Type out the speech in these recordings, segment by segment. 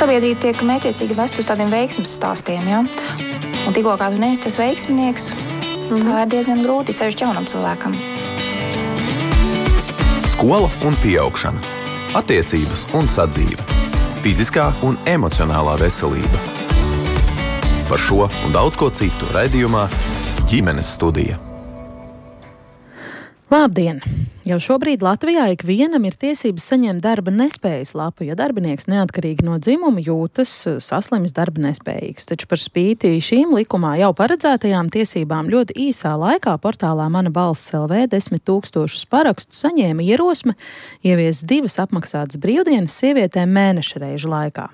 sabiedrība tiek mētiecīgi vest uz tādiem veiksmes stāstiem, ja? Un tikko kā tu neesi tas veiksminieks, tā ir diezgan grūti ceļš jaunam cilvēkam. Skola un pieaugšana, attiecības un sadzīve, fiziskā un emocionālā veselība. Par šo un daudz ko citu raidījumā Ģimenes studija. Labdien! Jau šobrīd Latvijā ikvienam ir tiesības saņemt darba nespējas lapu, ja darbinieks neatkarīgi no dzimuma jūtas saslimis darba nespējīgs. Taču par spīti šīm likumā jau paredzētajām tiesībām ļoti īsā laikā portālā Mana balss LV 10 000 parakstu saņēma ierosme ieviest 2 apmaksātas brīvdienas sievietēm mēneša reižu laikā.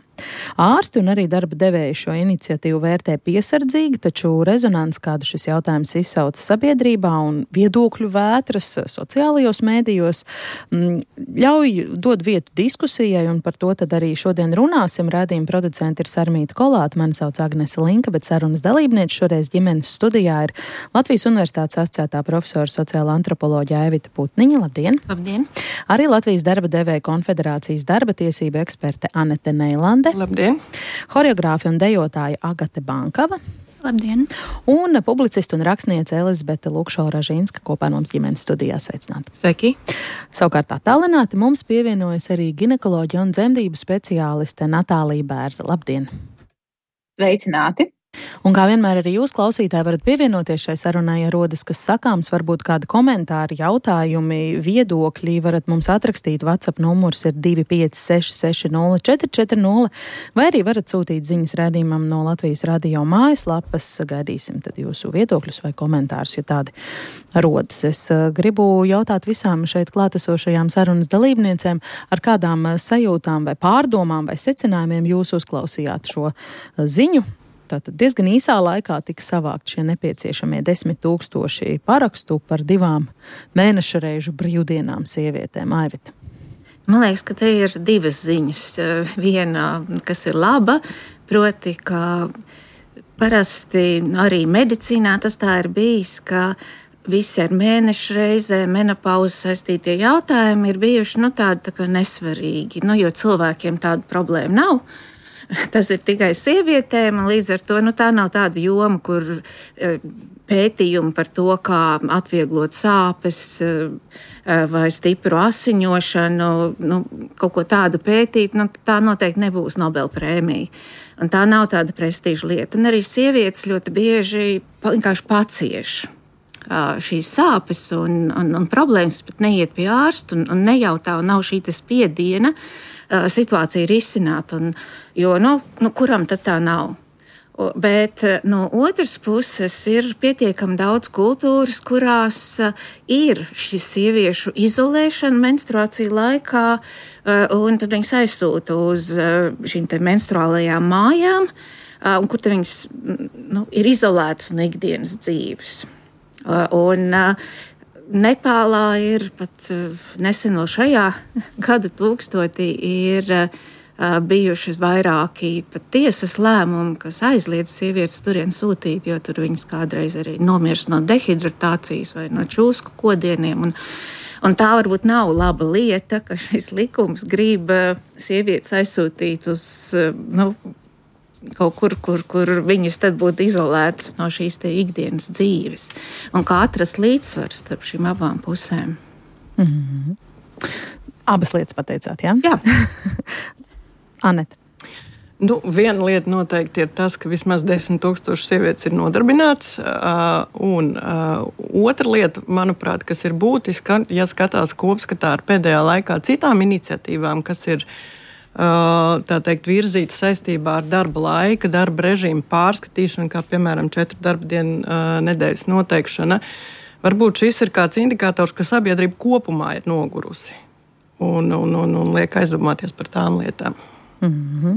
Ārsti un arī darba devēji šo iniciatīvu vērtē piesardzīgi, taču rezonanci, kādu šis jautājums izsauca sabiedrībā un viedokļu vētras sociālajos mēdījos, dod vietu diskusijai, un par to tad arī šodien runāsim. Raidījuma producenti ir Sarmīta Kolāta, mani sauc Agnese Linka, bet sarunas dalībniece šoreiz ģimenes studijā ir Latvijas Universitātes asociētā profesora sociāla antropoloģija Evita Putniņa. Labdien! Labdien! Arī Latvijas darba devēja konfederācijas darba tiesība eksperte Anete Neilande. Labdien! Horeogrāfi un dejotāja Agate Bankava. Labdien! Un publiciste un rakstniece Elizabete Lukšo-Ražinska kopā mums ģimenes studijā. Sveicināti! Sveiki! Savukārt attālināti mums pievienojas arī ginekoloģija un dzemdību speciāliste Natālija Bērza. Labdien! Sveicināti! Un kā vienmēr arī jūs, klausītāji, varat pievienoties šai sarunai, ja rodas kas sakāms, varbūt kādi komentāri, jautājumi, viedokļi, varat mums atrakstīt. WhatsApp numurs ir 256604440, vai arī varat sūtīt ziņas raidījumam no Latvijas radio mājaslapas. Gaidīsim tad jūsu viedokļus vai komentārus, ja tādi rodas. Es gribu jautāt visām šeit klātesošajām sarunas dalībniecēm, ar kādām sajūtām vai pārdomām vai secinājumiem jūs uzklausījāt šo ziņu. Tātad diezgan īsā laikā tika savākt šie nepieciešamie 10 000 parakstu par 2 mēneša reižu brīvdienām sievietēm. Aivita. Man liekas, ka te ir 2 ziņas. Viena, kas ir laba, proti, ka parasti arī medicīnā tas tā ir bijis, ka visi ar mēneša reizē, menopauzi saistītie jautājumi ir bijuši tādi tā kā nesvarīgi, jo cilvēkiem tāda problēma nav. Tas ir tikai sievietēm, un līdz ar to tā nav tāda joma, kur pētījumi par to, kā atvieglot sāpes vai stipru asiņošanu, kaut ko tādu pētīt, tā noteikti nebūs Nobel prēmija. Un tā nav tāda prestiža lieta. Un arī sievietes ļoti bieži vienkārši pacieš šīs sāpes un problēmas, pat neiet pie ārsta un nejautā, un nav šī spiediena situācija ir izsināta, jo kuram tad tā nav? Bet no otras puses ir pietiekami daudz kultūras, kurās ir šī sieviešu izolēšana menstruāciju laikā, un tad viņas aizsūta uz šīm te menstruālajām mājām, un kur viņas ir izolētas no ikdienas dzīves. Un Nepālā ir pat nesen vēl šajā gadu tūkstotī ir bijušas vairāki pat tiesas lēmumi, kas aizliedz sievietes turien sūtīt, jo tur viņas kādreiz arī nomirst no dehidratācijas vai no čūsku kodieniem. Un tā varbūt nav laba lieta, ka šis likums grib sievietes aizsūtīt uz kaut kur viņas tad būtu izolētas no šīs te ikdienas dzīves. Un kā atrast līdzsvaru starp šīm abām pusēm. Mm-hmm. Abas lietas pateicāt, jā? Jā. Anete. Viena lieta noteikti ir tas, ka vismaz 10 000 sievietes ir nodarbināts. Un otra lieta, manuprāt, kas ir būtiska, ja skatās kopskatā ar pēdējā laikā citām iniciatīvām, kas ir tā teikt, virzīts saistībā ar darba laika, darba režīmu pārskatīšanu, kā piemēram 4 darba dienu nedēļas noteikšana. Varbūt šis ir kāds indikators, ka sabiedrība kopumā ir nogurusi un liek aizdomāties par tām lietām. Mm-hmm.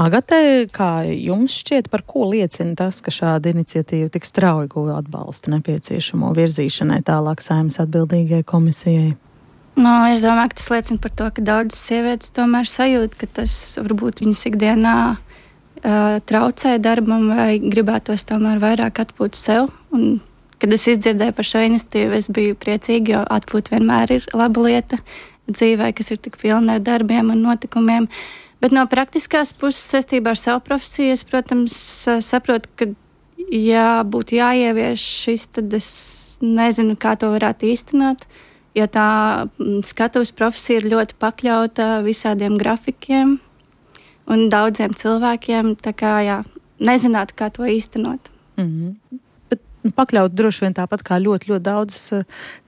Agate, kā jums šķiet, par ko liecina tas, ka šāda iniciatīva tik strauji guva atbalstu nepieciešamo virzīšanai tālāk Saeimas atbildīgajai komisijai? Es domāju, ka tas liecina par to, ka daudzas sievietes tomēr sajūt, ka tas varbūt viņas ikdienā traucē darbam vai gribētos tomēr vairāk atpūt sev. Un, kad es izdzirdēju par šo iniciatīvu, es biju priecīga, jo atpūt vienmēr ir laba lieta. dzīvē, kas ir tik pilna ar darbiem un notikumiem. Bet no praktiskās puses saistībā ar savu profesiju, es, protams, saprotu, ka būtu jāievieš šis, tad es nezinu, kā to varētu īstenot, jo tā skatuves profesija ir ļoti pakļauta visādiem grafikiem un daudziem cilvēkiem, tā kā, nezinātu, kā to īstenot. Mm-hmm. Pakļaut droši vien tāpat kā ļoti, ļoti daudz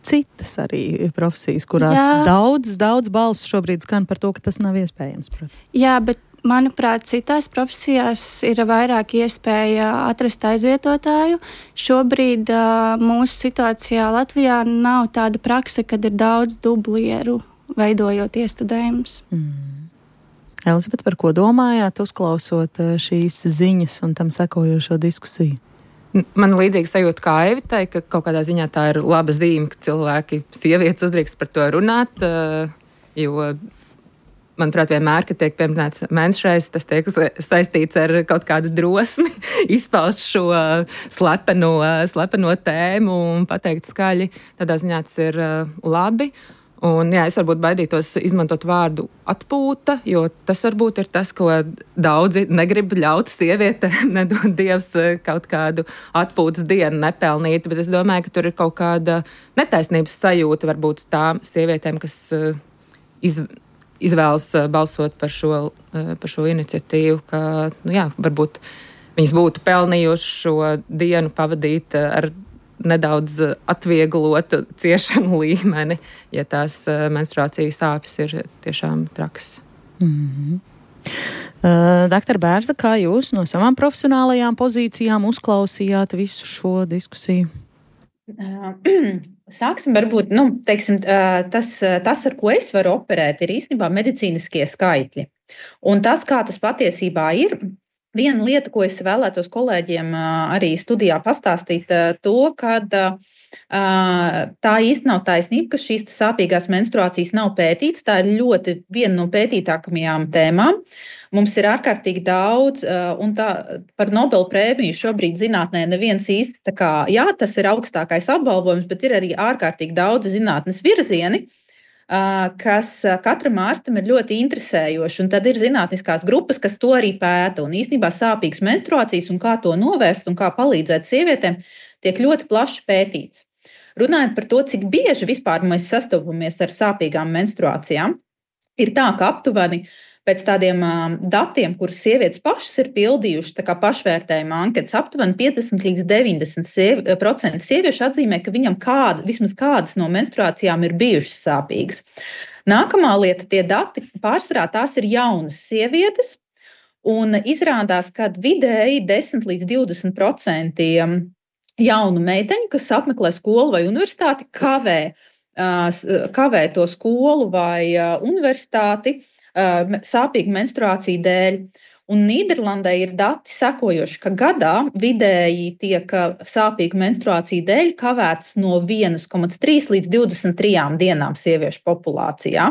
citas arī profesijas, kurās daudz balsu šobrīd skan par to, ka tas nav iespējams. Protams. Jā, bet manuprāt, citās profesijās ir vairāk iespēja atrast aizvietotāju. Šobrīd mūsu situācijā Latvijā nav tāda prakse, kad ir daudz dublieru veidojot iestudējumus. Elizabete, par ko domājāt, uzklausot šīs ziņas un tam sekojošo diskusiju? Man līdzīgi sajūta kā Evitai, ka kaut kādā ziņā tā ir laba zīme, ka cilvēki, sievietes uzdrīkst par to runāt, jo, manuprāt, vienmēr, kad tiek pieminēts menstruācijas, tas tiek saistīts ar kaut kādu drosmi, izpaust šo slepeno tēmu un pateikt skaļi. Tādā ziņā tas ir labi. Un, es varbūt baidītos izmantot vārdu atpūta, jo tas varbūt ir tas, ko daudzi negrib ļaut sievietēm, nedod Dievs kaut kādu atpūtas dienu nepelnīt, bet es domāju, ka tur ir kaut kāda netaisnības sajūta varbūt tām sievietēm, kas izvēlas balsot par šo iniciatīvu, ka, varbūt viņas būtu pelnījuši šo dienu pavadīt ar nedaudz atvieglotu ciešanu līmeni, ja tās menstruācijas sāpes ir tiešām trakas. Mm-hmm. Doktor Bērza, kā jūs no savām profesionālajām pozīcijām uzklausījāt visu šo diskusiju? Sāksim varbūt, tas, ar ko es varu operēt, ir īstenībā medicīniskie skaitļi. Un tas, kā tas patiesībā ir, viena lieta, ko es vēlētos kolēģiem arī studijā pastāstīt, ka tā īsti nav taisnība, ka šīs sāpīgās menstruācijas nav pētītas. Tā ir viena no pētītākajām tēmām. Mums ir ārkārtīgi daudz, un par Nobela prēmiju šobrīd zinātnē neviens īsti, tas ir augstākais apbalvojums, bet ir arī ārkārtīgi daudz zinātnes virzieni, kas katram ārstam ir ļoti interesējoši. Un tad ir zinātniskās grupas, kas to arī pēta. Un īstenībā sāpīgas menstruācijas un kā to novērst un kā palīdzēt sievietēm tiek ļoti plaši pētīts. Runājot par to, cik bieži vispār mēs sastopamies ar sāpīgām menstruācijām, ir tā, ka aptuveni pēc tādiem datiem, kurus sievietes pašas ir pildījušas, tā kā pašvērtējuma anketas, aptuveni 50 līdz 90% sieviešu atzīmē, ka viņam vismaz kādas no menstruācijām ir bijušas sāpīgas. Nākamā lieta, tie dati pārsvarā tās ir jaunas sievietes, un izrādās, ka vidēji 10 līdz 20% jaunu meiteņu, kas apmeklē skolu vai universitāti, kavē to skolu vai universitāti, sāpīgu menstruāciju dēļ. Un Nīderlandē ir dati sekojoši, ka gadā vidēji tiek sāpīgu menstruāciju dēļ kavētas no 1,3 līdz 23 dienām sieviešu populācijā.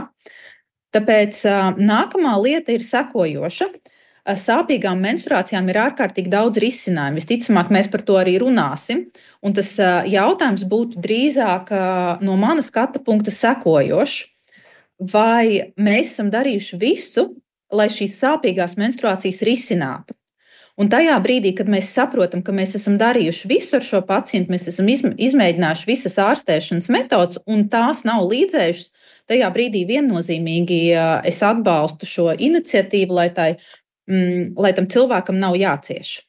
Tāpēc nākamā lieta ir sekojoša. Sāpīgām menstruācijām ir ārkārtīgi daudz risinājumu. Visticamāk, mēs par to arī runāsim. Un tas jautājums būtu drīzāk no mana skata punkta sekojošs. Vai mēs esam darījuši visu, lai šīs sāpīgās menstruācijas risinātu? Un tajā brīdī, kad mēs saprotam, ka mēs esam darījuši visu ar šo pacientu, mēs esam izmēģinājuši visas ārstēšanas metodas, un tās nav līdzējušas, tajā brīdī viennozīmīgi es atbalstu šo iniciatīvu, lai tam cilvēkam nav jācieš.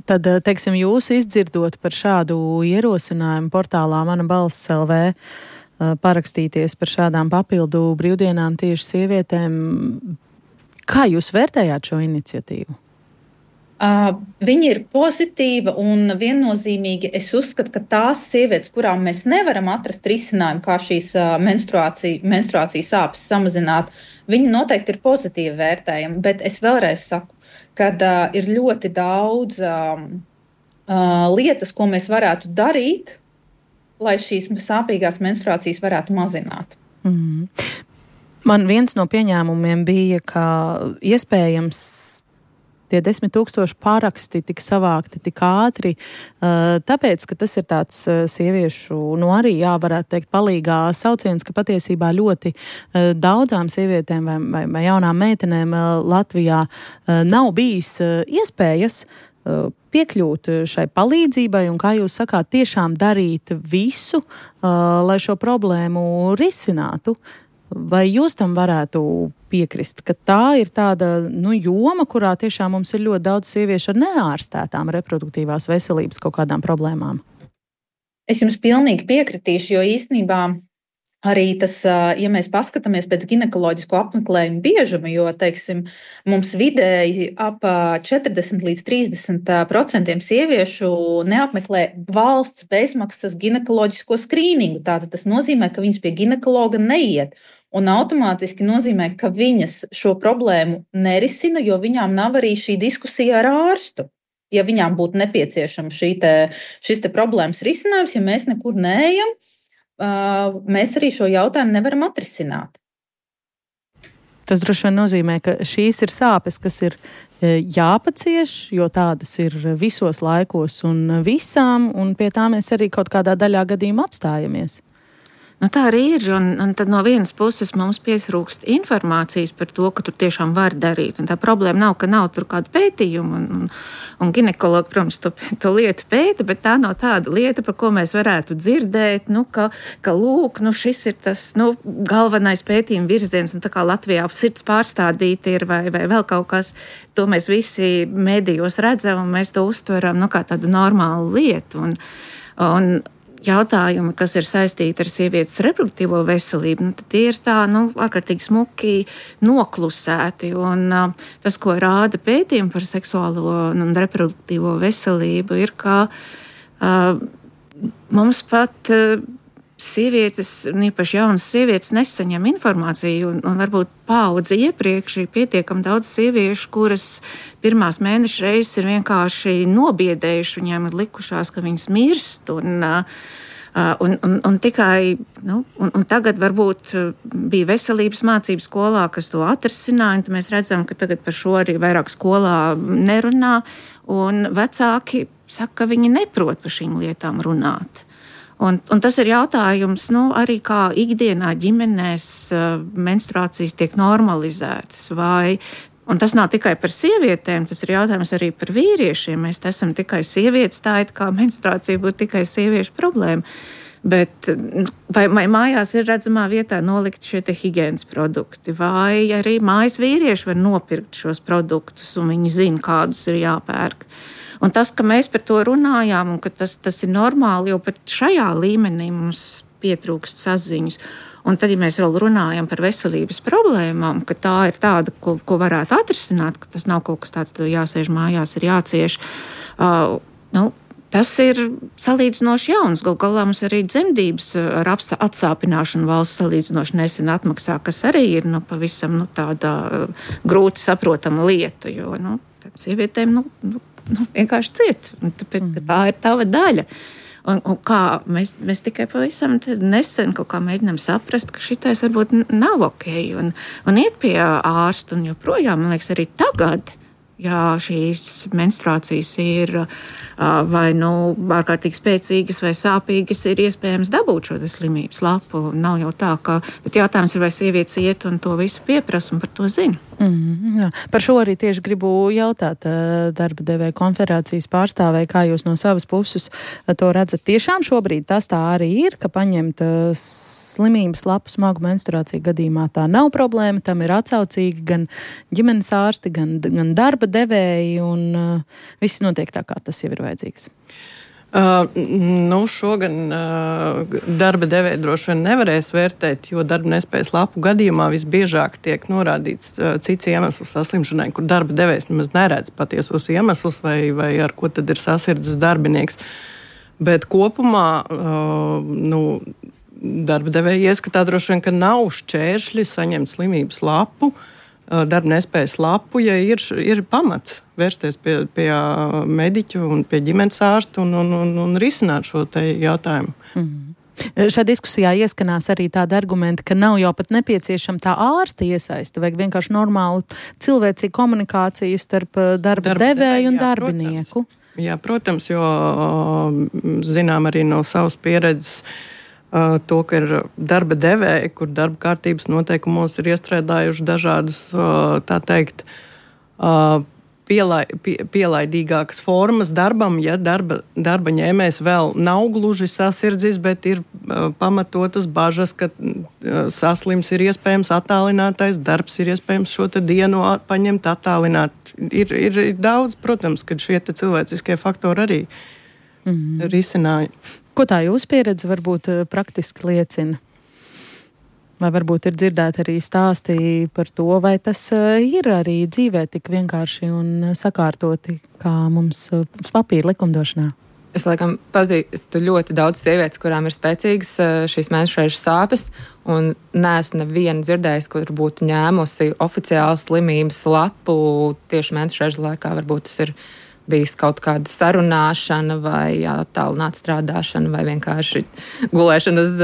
Tad, teiksim, jūs izdzirdot par šādu ierosinājumu portālā Mana balss LV, parakstīties par šādām papildu brīvdienām tieši sievietēm. Kā jūs vērtējāt šo iniciatīvu? Viņa ir pozitīva un viennozīmīgi es uzskatu, ka tās sievietes, kurām mēs nevaram atrast risinājumu, kā šīs menstruācijas sāpes samazināt, viņi noteikti ir pozitīvi vērtējami, bet es vēlreiz saku, ka ir ļoti daudz lietas, ko mēs varētu darīt, lai šīs sāpīgās menstruācijas varētu mazināt. Man viens no pieņēmumiem bija, ka iespējams tie 10 000 paraksti tika savākti tik ātri, tāpēc, ka tas ir tāds sieviešu, arī varētu teikt, palīgā sauciens, ka patiesībā ļoti daudzām sievietēm vai jaunām meitenēm Latvijā nav bijis iespējas piekļūt šai palīdzībai un, kā jūs sakāt, tiešām darīt visu, lai šo problēmu risinātu. Vai jūs tam varētu piekrist, ka tā ir tāda joma, kurā tiešām mums ir ļoti daudz sieviešu ar neārstētām reproduktīvās veselības kaut kādām problēmām? Es jums pilnīgi piekritīšu, jo īstenībā arī tas, ja mēs paskatāmies pēc ginekoloģisko apmeklējumu biežuma, jo, teiksim, mums vidēji ap 40 līdz 30% sieviešu neapmeklē valsts bezmaksas ginekoloģisko skrīningu. Tātad tas nozīmē, ka viņas pie ginekologa neiet. Un automātiski nozīmē, ka viņas šo problēmu nerisina, jo viņām nav arī šī diskusija ar ārstu. Ja viņām būtu nepieciešama šis problēmas risinājums, ja mēs nekur neejam, mēs arī šo jautājumu nevaram atrisināt. Tas droši vien nozīmē, ka šīs ir sāpes, kas ir jāpacieš, jo tādas ir visos laikos un visām, un pie tā mēs arī kaut kādā daļā gadījumā apstājamies. Tā arī ir, un tad no vienas puses mums pietrūkst informācijas par to, ka tur tiešām var darīt. Un tā problēma nav, ka nav tur kāda pētījuma, un ginekologi, protams, to lietu pēta, bet tā nav tāda lieta, par ko mēs varētu dzirdēt, ka lūk, šis ir tas galvenais pētījuma virziens, un tā kā Latvijā sirds pārstādīta ir vai vēl kaut kas, to mēs visi medijos redzam, un mēs to uztveram kā tādu normālu lietu. Un jautājumi, kas ir saistīti ar sievietes reproduktīvo veselību, tad tie ir tā, ārkārtīgi smuki noklusēti. Un tas, ko rāda pētījumi par seksuālo un reproduktīvo veselību, ir, ka mums pat sievietes, īpaši jaunas sievietes, nesaņem informāciju, un varbūt paudze iepriekš ir pietiekami daudz sieviešu, kuras pirmās mēneša reizes ir vienkārši nobiedējuši, viņiem ir likušās, ka viņas mirst, un tikai, un tagad varbūt bija veselības mācības skolā, kas to atrisināja, un tad mēs redzam, ka tagad par šo arī vairāk skolā nerunā, un vecāki saka, ka viņi neprot par šīm lietām runāt. Un tas ir jautājums, arī kā ikdienā ģimenēs menstruācijas tiek normalizētas, un tas nav tikai par sievietēm, tas ir jautājums arī par vīriešiem. Mēs esam tikai sievietes, tā it kā menstruācija būtu tikai sieviešu problēma. Bet vai mājās ir redzamā vietā nolikt šie higienas produkti, vai arī mājas vīrieši var nopirkt šos produktus, un viņi zina, kādus ir jāpērk. Un tas, ka mēs par to runājām, un ka tas ir normāli, jo pat šajā līmenī mums pietrūkst saziņas. Un tad, ja mēs vēl runājam par veselības problēmām, ka tā ir tāda, ko varētu atrisināt, ka tas nav kaut kas tāds, ka jāsēž mājās, ir jācieš, tas ir salīdzinoši jauns. Galu galā mums arī dzemdības ar atsāpināšanu valsts salīdzinoši nesen atmaksā, kas arī ir pavisam tāda grūti saprotama lieta, jo sievietēm vienkārši ciet, tāpēc, ka tā ir tava daļa. Un kā mēs tikai pavisam nesen kaut kā mēģinām saprast, ka šitais varbūt nav ok, un iet pie ārsta, un joprojām, man liekas, arī tagad, ja šīs menstruācijas ir vai ārkārtīgi spēcīgas vai sāpīgas, ir iespējams dabūt šo slimības lapu. Nav jau tā, bet jautājums ir, vai sievietes iet un to visu pieprasa un par to zina. Jā. Par šo arī tieši gribu jautāt darba devēja konfederācijas pārstāvēji, kā jūs no savas puses to redzat. Tiešām šobrīd tas tā arī ir, ka paņemt slimības lapu smagu menstruāciju gadījumā tā nav problēma, tam ir atsaucīgi gan ģimenes ārsti, gan darba devēji, un viss notiek tā, kā tas jau ir vajadzīgs. Šogan darba devēja droši vien nevarēs vērtēt, jo darba nespējas lapu gadījumā visbiežāk tiek norādīts cits iemesls saslimšanai, kur darba devējs nemaz neredz patiesos iemeslus vai ar ko tad ir sasirdzis darbinieks. Bet kopumā darba devēja ieskatā droši vien, ka nav šķēršļi saņemt slimības lapu, darba nespējas lapu, ja ir pamats vērsties pie mediķu un pie ģimenes ārsta un risināt šo te jautājumu. Šajā diskusijā ieskanās arī tāda argumenta, ka nav jau pat nepieciešama tā ārsta iesaiste, vajag vienkārši normālu cilvēcīgu komunikāciju starp darba devēju un darbinieku. Protams, jo zinām arī no savas pieredzes to, ka ir darba devēji, kur darba kārtības noteikumos ir iestrādājuši dažādus, tā teikt, pielaidīgākas formas darbam, ja darba ņēmējs vēl nav gluži sasirdzis, bet ir pamatotas bažas, ka saslims ir iespējams attālinātais darbs, ir iespējams šo te dienu paņemt attālināt. Ir daudz, protams, kad šie te cilvēciskie faktori arī risināja. Ko tā jūsu pieredze varbūt praktiski liecina? Vai varbūt ir dzirdēti arī stāstī par to, vai tas ir arī dzīvē tik vienkārši un sakārtoti, kā mums papīra likumdošanā? Es laikam pazīstu ļoti daudz sievietes, kurām ir spēcīgas šīs mēnešreižu sāpes, un neesmu nevienu dzirdējis, kur būtu ņēmusi oficiālu slimības lapu tieši mēnešreižu laikā. Varbūt tas ir bijis kaut kāda sarunāšana vai attālināta strādāšana vai vienkārši gulēšana uz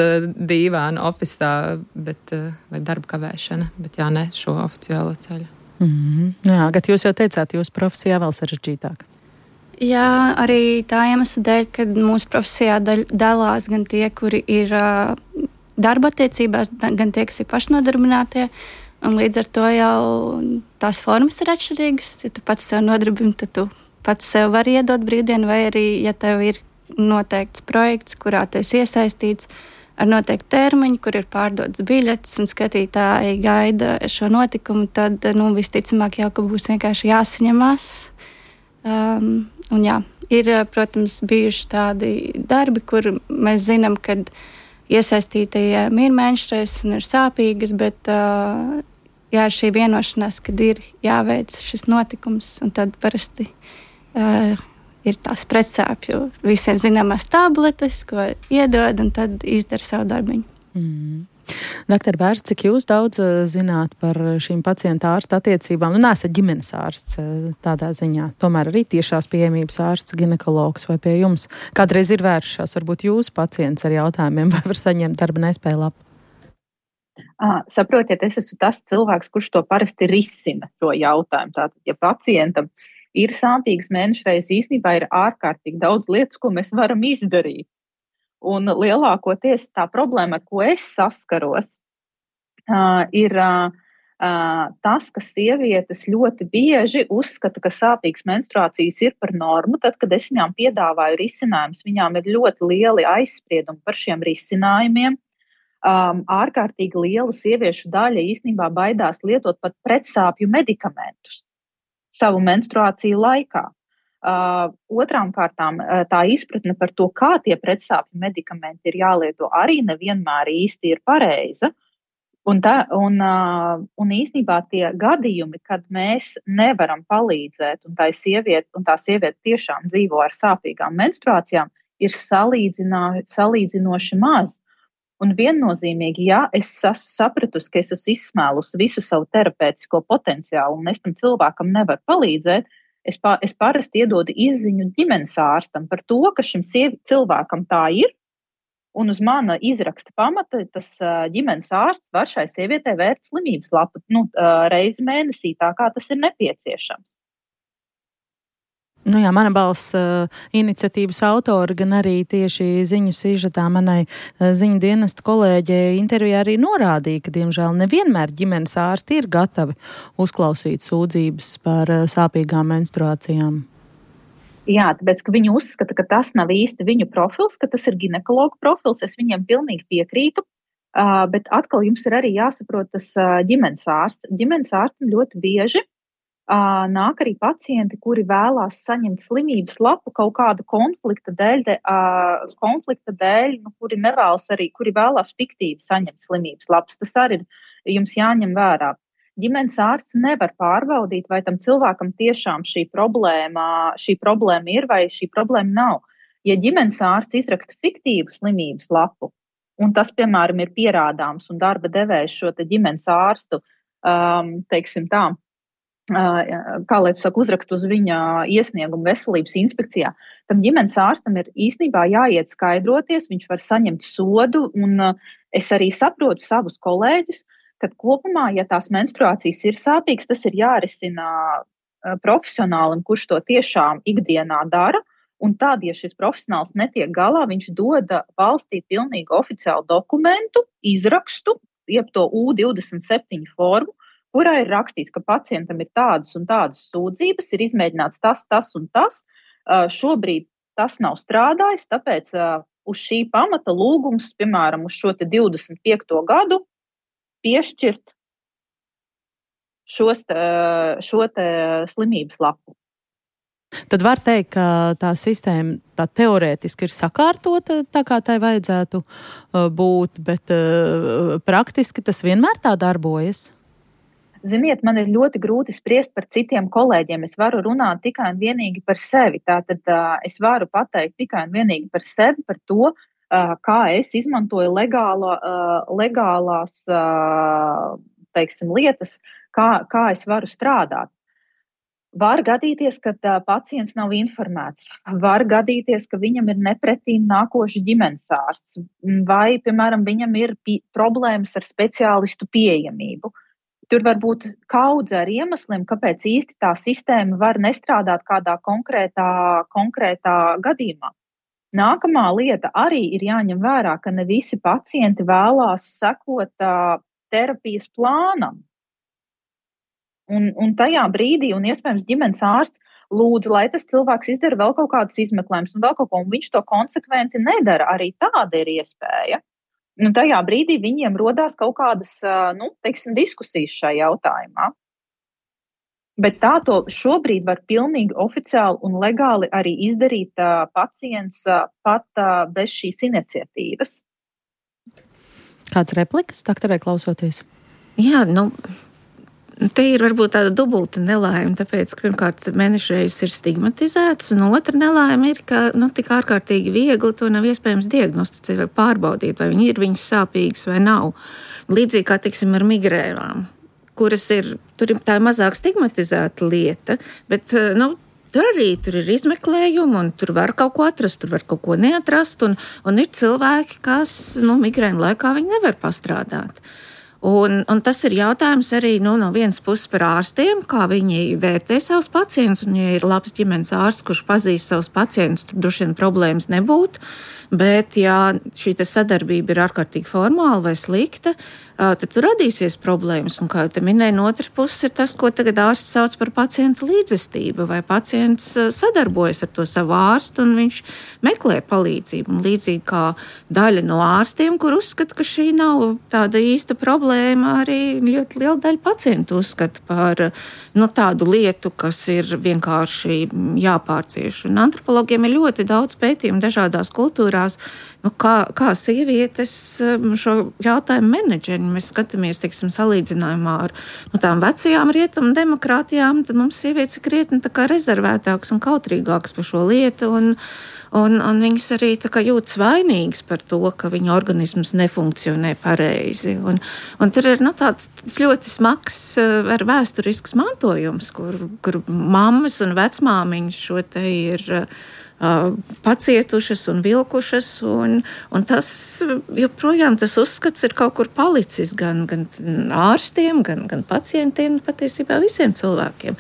dīvāna ofisā, vai darba kavēšana, bet ne šo oficiālo ceļu. Jā, Gat, jūs jau teicāt, jūsu profesijā vēl sarežģītāk. Jā, arī tā iemesla dēļ, kad mūsu profesijā dalās gan tie, kuri ir darba attiecībās, gan tie, kas ir pašnodarbinātie, un līdz ar to jau tās formas ir atšķirīgas. Ja tu pats sev nodarbini, tad tu pats sev var iedot brīvdienu, vai arī, ja tev ir noteikts projekts, kurā tu esi iesaistīts ar noteiktu termiņu, kur ir pārdotas biļetes un skatītāji gaida šo notikumu, tad, visticamāk jau, ka būs vienkārši jāsaņemās. Un jā, ir, protams, bijuši tādi darbi, kur mēs zinām, kad iesaistītajiem ir mēnešreizes un ir sāpīgas, bet šī vienošanās, kad ir jāveic šis notikums, un tad parasti ir tās pretsāpju visiem zināmās tabletes, ko iedod, un tad izdara savu darbiņu. Doktor Bērts, cik jūs daudz zināt par šīm pacienta ārsta attiecībām? Nesat ģimenes ārsts tādā ziņā, tomēr arī tiešās pieejamības ārsts, ginekologs vai pie jums. Kādreiz ir vēršās varbūt jūsu pacients ar jautājumiem, vai var saņemt darba nespēju lapu? Saprotiet, es esmu tas cilvēks, kurš to parasti risina šo jautājumu. Tātad, ja pacientam ir sāpīgas mēnešreizes, īstenībā ir ārkārtīgi daudz lietas, ko mēs varam izdarīt. Un lielākoties tā problēma, ar ko es saskaros, ir tas, ka sievietes ļoti bieži uzskata, ka sāpīgas menstruācijas ir par normu. Tad, kad es viņām piedāvāju risinājumus, viņām ir ļoti lieli aizspriedumi par šiem risinājumiem. Ārkārtīgi liela sieviešu daļa īstenībā baidās lietot pat pretsāpju medikamentus savu menstruāciju laikā. Otrām kārtām tā izpratne par to, kā tie pretsāpju medikamenti ir jālieto, arī nevienmēr īsti ir pareiza. Un īstenībā tie gadījumi, kad mēs nevaram palīdzēt, un tā sieviete tiešām dzīvo ar sāpīgām menstruācijām, ir salīdzinoši maz. Un viennozīmīgi, ja es sapratusi, ka es esmu izsmēlusi visu savu terapeitisko potenciālu un es tam cilvēkam nevaru palīdzēt, es parasti iedodu izziņu ģimenes ārstam par to, ka šim cilvēkam tā ir, un uz mana izraksta pamata tas ģimenes ārsts var šai sievietei vērt slimības lapu reizi mēnesī, tā kā tas ir nepieciešams. Jā, Mana balss iniciatīvas autori, gan arī tieši ziņu sižetā manai ziņu dienestu kolēģei intervijā arī norādīja, ka, diemžēl, nevienmēr ģimenes ārsti ir gatavi uzklausīt sūdzības par sāpīgām menstruācijām. Jā, tāpēc, ka viņi uzskata, ka tas nav īsti viņu profils, ka tas ir ginekologu profils, es viņiem pilnīgi piekrītu, bet atkal jums ir arī jāsaprot tas ģimenes ārsts. Ģimenes ārstam ļoti bieži nāk arī pacienti, kuri vēlās saņemt slimības lapu kaut kādu konflikta dēļ, kuri vēlās fiktīvi saņemt slimības lapas. Tas arī jums jāņem vērā. Ģimenes ārsts nevar pārbaudīt, vai tam cilvēkam tiešām šī problēma ir vai šī problēma nav. Ja ģimenes ārsts izraksta fiktīvu slimības lapu, un tas, piemēram, ir pierādāms, un darba devējs šo te ģimenes ārstu, teiksim tā, kā lai tu saka, uzrakstu uz viņa iesniegumu veselības inspekcijā, tam ģimenes ārstam ir īstenībā jāiet skaidroties, viņš var saņemt sodu, un es arī saprotu savus kolēģus, kad kopumā, ja tās menstruācijas ir sāpīgas, tas ir jārisina profesionālim, kurš to tiešām ikdienā dara, un tad, ja šis profesionāls netiek galā, viņš dod valstī pilnīgi oficiālu dokumentu, izrakstu, jeb to U27 formu, kurā ir rakstīts, ka pacientam ir tādas un tādas sūdzības, ir izmēģināts tas un tas. Šobrīd tas nav strādājis, tāpēc uz šī pamata lūgums, piemēram, uz šo te 25. gadu piešķirt šo te slimības lapu. Tad var teikt, ka tā sistēma tā teorētiski ir sakārtota tā, kā tai vajadzētu būt, bet praktiski tas vienmēr tā darbojas? Ziniet, man ir ļoti grūti spriest par citiem kolēģiem. Es varu runāt tikai un vienīgi par sevi. Tātad es varu pateikt tikai un vienīgi par sevi, par to, kā es izmantoju legālās teiksim, lietas, kā es varu strādāt. Var gadīties, ka pacients nav informēts. Var gadīties, ka viņam ir nepretīm nākošs ģimenes ārsts. Vai, piemēram, viņam ir problēmas ar speciālistu pieejamību. Tur var būt kaudze ar iemesliem, kāpēc īsti tā sistēma var nestrādāt kādā konkrētā gadījumā. Nākamā lieta arī ir jāņem vērā, ka ne visi pacienti vēlās sekot terapijas plānam. Un tajā brīdī, un iespējams ģimenes ārsts lūdz, lai tas cilvēks izdara vēl kaut kādus izmeklējumus un vēl kaut ko, un viņš to konsekventi nedara. Arī tāda ir iespēja. Tajā brīdī viņiem rodās kaut kādas, diskusijas šajā jautājumā. Bet tā to šobrīd var pilnīgi oficiāli un legāli arī izdarīt pacients pat bez šīs iniciatīvas. Kāds replikas, doktorē, klausoties? Jā, te ir varbūt tāda dubulta nelaime, tāpēc, ka pirmkārt mēnešreizes ir stigmatizēts, un otra nelaime ir, ka tik ārkārtīgi viegli to nav iespējams diagnosticēt vai pārbaudīt, vai viņi ir viņas sāpīgas vai nav. Līdzīgi kā, teiksim, ar migrēnām, kuras tur ir tā mazāk stigmatizēta lieta, bet, tur ir izmeklējumi, un tur var kaut ko atrast, tur var kaut ko neatrast, un ir cilvēki, kas, migrēnu laikā viņi nevar pastrādāt. Un tas ir jautājums arī no vienas puses par ārstiem, kā viņi vērtē savus pacientus. Un, ja ir labs ģimenes ārsts, kurš pazīst savus pacientus, tur droši vien problēmas nebūtu. Bet, ja šī sadarbība ir ārkārtīgi formāla vai slikta, tad tur radīsies problēmas. Un, kā jau te minēju, no otras puses ir tas, ko tagad ārsts sauc par pacienta līdzestību, vai pacients sadarbojas ar to savu ārstu un viņš meklē palīdzību. Un līdzīgi kā daļa no ārstiem, kur uzskata, ka šī nav tāda īsta problēma, arī ļoti liela daļa pacientu uzskata par tādu lietu, kas ir vienkārši jāpārcieš. Un antropologiem ir ļoti daudz pētījumu dažādās kultūrās, kā sievietes šo jautājumu menedžeri. Mēs skatāmies, teiksim, salīdzinājumā ar tām vecajām rietumu demokrātijām, tad mums sievietes ir krietni tā kā rezervētākas un kautrīgākas par šo lietu, un viņas arī tā kā jūtas vainīgas par to, ka viņu organisms nefunkcionē pareizi. Un tur ir tāds ļoti smags ar vēsturisks mantojums, kur mammas un vecmāmiņas šo te ir pacietušas un vilkušas, un tas joprojām tas uzskats ir kaut kur palicis gan ārstiem, gan pacientiem, patiesībā visiem cilvēkiem.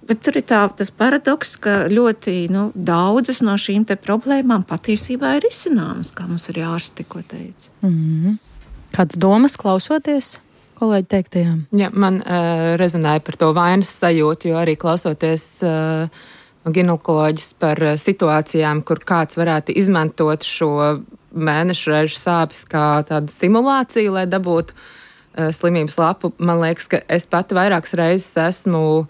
Bet tur ir tas paradoks, ka ļoti daudzas no šīm te problēmām patiesībā ir izcināmas, kā mums arī ārsti tikko teica. Mm-hmm. Kādas domas klausoties kolēģi teiktajām? Jā, man rezonēja par to vainas sajūtu, jo arī klausoties ginekoloģis par situācijām, kur kāds varētu izmantot šo mēnešreižu sāpes kā tādu simulāciju, lai dabūtu slimības lapu. Man liekas, ka es pati vairākas reizes esmu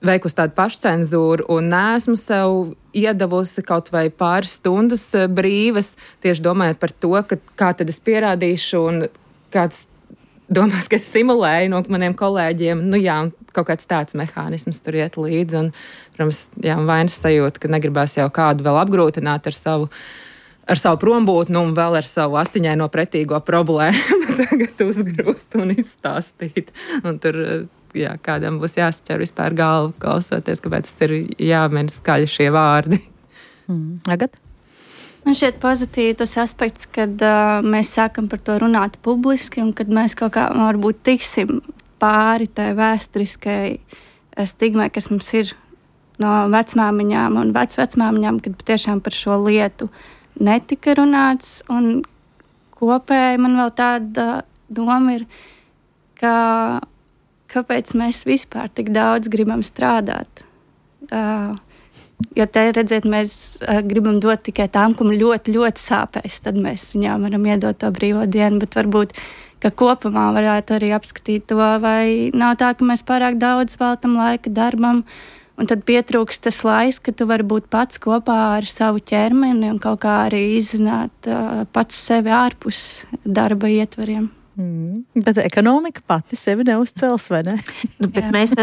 veikusi tādu pašcenzūru un neesmu sev iedavusi kaut vai pāris stundas brīvas, tieši domājot par to, kā tad es pierādīšu un kāds domās, ka es simulēju no maniem kolēģiem. Un kaut kāds tāds mehānisms tur iet līdzi. Un, protams, vainas sajūta, ka negribās jau kādu vēl apgrūtināt ar savu prombūtni un vēl ar savu asiņaino pretīgo problēmu tagad uzgrūst un izstāstīt. Un tur kādam būs jāsaķer vispār galvu, klausoties, kāpēc tas ir jāmin skaļi šie vārdi. Agat? Man šķiet pozitīvi tas aspekts, kad mēs sākam par to runāt publiski un kad mēs kaut kā varbūt tiksim pāri tai vēsturiskai stigmai, kas mums ir no vecmāmiņām un vecmāmiņām, kad patiešām par šo lietu netika runāts. Un kopēji man vēl tāda doma ir, kāpēc mēs vispār tik daudz gribam strādāt. Jo te, redziet, mēs gribam dot tikai tām, kam ļoti, ļoti sāpēs, tad mēs viņām varam iedot to brīvo dienu, bet varbūt, ka kopumā varētu arī apskatīt to, vai nav tā, ka mēs pārāk daudz veltam laika darbam, un tad pietrūkst tas laiks, ka tu vari būt pats kopā ar savu ķermeni un kaut kā arī izzināt pats sevi ārpus darba ietvariem. Bet ekonomika pati sevi neuzcels, vai ne? Bet mēs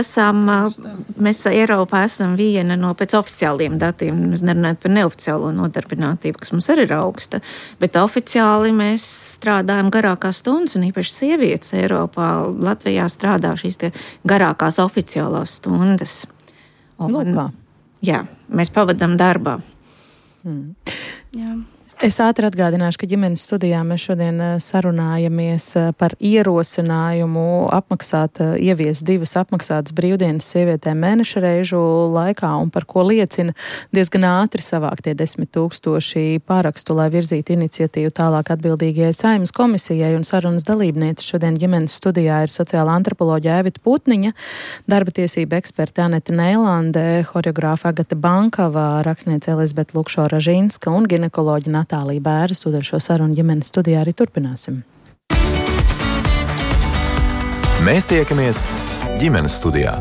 Eiropā esam viena no pēc oficiāliem datiem, mēs nerunājam par neoficiālo nodarbinātību, kas mums arī ir augsta, bet oficiāli mēs strādājam garākās stundas, un īpaši sievietes Eiropā, Latvijā strādā šīs tie garākās oficiālās stundas. Jā, mēs pavadām darbā. Jā. Es ātri atgādināšu, ka ģimenes studijā mēs šodien sarunājamies par ierosinājumu ieviest 2 apmaksātas brīvdienas sievietēm mēneša reižu laikā, un par ko liecina diezgan ātri savāktie 10 000 parakstu, lai virzītu iniciatīvu tālāk atbildīgajai Saeimas komisijai, un sarunas dalībniece šodien ģimenes studijā ir sociāla antropoloģija Evita Putniņa, darba tiesība eksperta Anete Neilande, horeogrāfa Agata Bankava, rakstniece Elizabete Lukšo-Ražinska un ginekoloģa Natālija Bēra. Tūdaļ šo sarunu ģimenes studijā arī turpināsim. Mēs tiekamies ģimenes studijā.